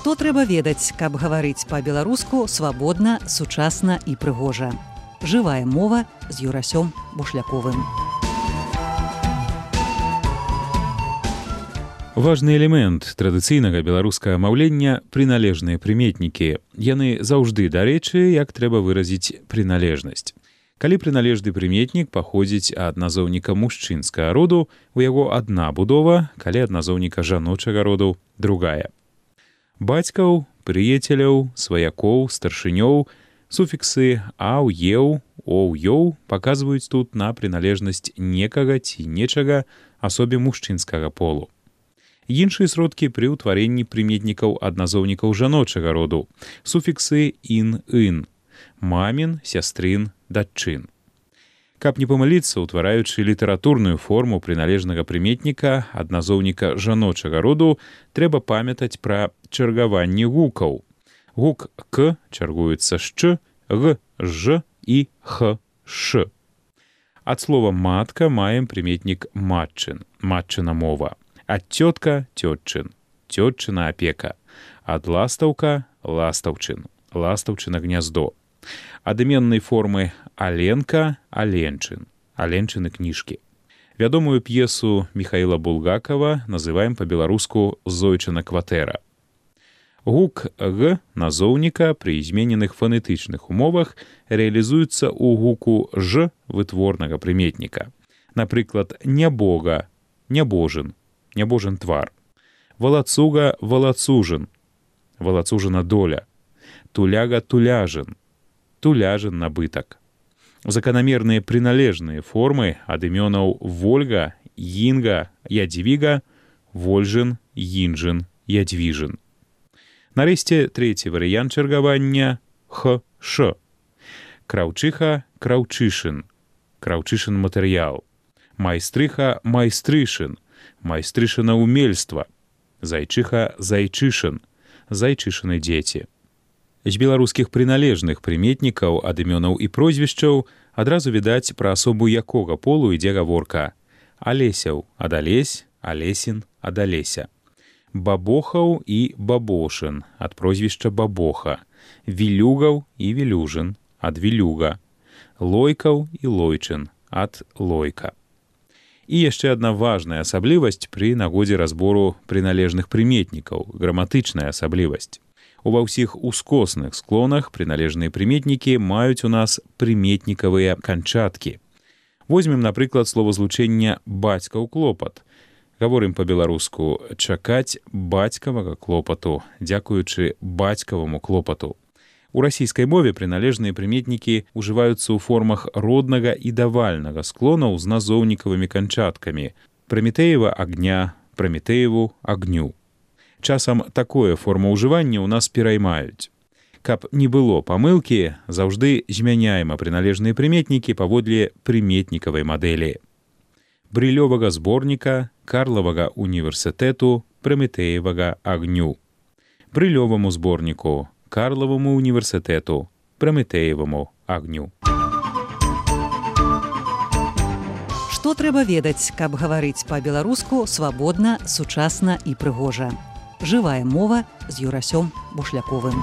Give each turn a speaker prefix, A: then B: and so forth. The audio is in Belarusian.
A: Што трэба ведаць, каб гаварыць па-беларуску свабодна, сучасна і прыгожа. Жывая мова з Юрасём Бушляковым.
B: Важны элемент традыцыйнага беларускага маўлення – прыналежныя прыметнікі. Яны заўжды дарэчы, як трэба выразіць прыналежнасць. Калі прыналежны прыметнік паходзіць ад назоўніка мужчынскага роду, у яго адна будова, калі ад назоўніка жаночага роду – другая. Бацькаў, прыяцеляў, сваякоў, старшынёў, суфіксы «аў», «еў», «оў», «ёў» паказваюць тут на прыналежнасць некага ці нечага асобе мужчынскага полу. Іншыя сродкі пры ўтварэнні прыметнікаў ад назоўнікаў жаночага роду. Суфіксы «ін», «ын», мамін, сястрын, дачын. Каб не памыліцца, утвараючы літаратурную форму прыналежнага прыметніка ад назоўніка жаночага роду, трэба памятаць пра чаргаванне гукаў. Гук «к» чаргуецца з «ч», «г», «ж» і «х», «ш». Ад слова «матка» маем прыметнік «матчын», «матчына мова». Ад цётка – цётчын, цётчына апека. Ад ластаўка – ластаўчын, ластаўчына гняздо. Ад іменнай формы «аленка» – аленчын, аленчыны кніжкі. Вядомую п'есу Міхаіла Булгакова называем па-беларуску «зойчына кватэра». Гук «г» назоўніка пры змененых фанетычных умовах рэалізуецца ў гуку «ж» вытворнага прыметніка. Напрыклад, нябога – нябожын, нябожын твар. Валацуга – валацужын, валацужына доля. Туляга – туляжын, туляжын набытак. Заканамерныя прыналежныя формы ад імёнаў Вольга, Інга, Ядвіга, Вольжын, Інжын, Ядвіжын. Нарэшце, трэці варыянт чаргавання – х, ш. Краўчыха – краўчышын, краўчышын матэрыял. Майстрыха – майстрышын, майстрышына ўмельства. Зайчыха – зайчышын, зайчышыны дзеці. З беларускіх прыналежных прыметнікаў ад імёнаў і прозвішчаў адразу відаць пра асобу якога полу ідзе гаворка. Алесяў – ад Алесь, Алесін – ад Алеся. Бабохаў і бабошын ад прозвішча бабоха. Вілюгаў і вілюжын ад вілюга. Лойкаў і лойчын ад лойка. І яшчэ адна важная асаблівасць пры нагодзе разбору прыналежных прыметнікаў – граматычная асаблівасць. Ува ўсіх ускосных склонах прыналежныя прыметнікі маюць у нас прыметнікавыя канчаткі. Возьмем, напрыклад, словазлучэнне «бацькаў клопат». Гаворым па-беларуску «чакаць бацькавага клопату», дзякуючы бацькаваму клопату. У расійскай мове прыналежныя прыметнікі ўжываюцца ў формах роднага і давальнага склонаў з назоўнікавымі канчаткамі «Прамітэева агня», «Прамітэеву агню». Часам такое форма ўжывання ў нас пераймаюць. Каб не было памылкі, заўжды змяняем прыналежныя прыметнікі паводле прыметнікавай мадэлі. Брылёвага зборніка, Карлавага універсітэту, Прамітэевага агню. Брылёваму зборніку, Карлаваму універсітэту, Прамітэеваму агню.
A: Што трэба ведаць, каб гаварыць па-беларуску свабодна, сучасна і прыгожа. Жывая мова з Юрасём Бушляковым.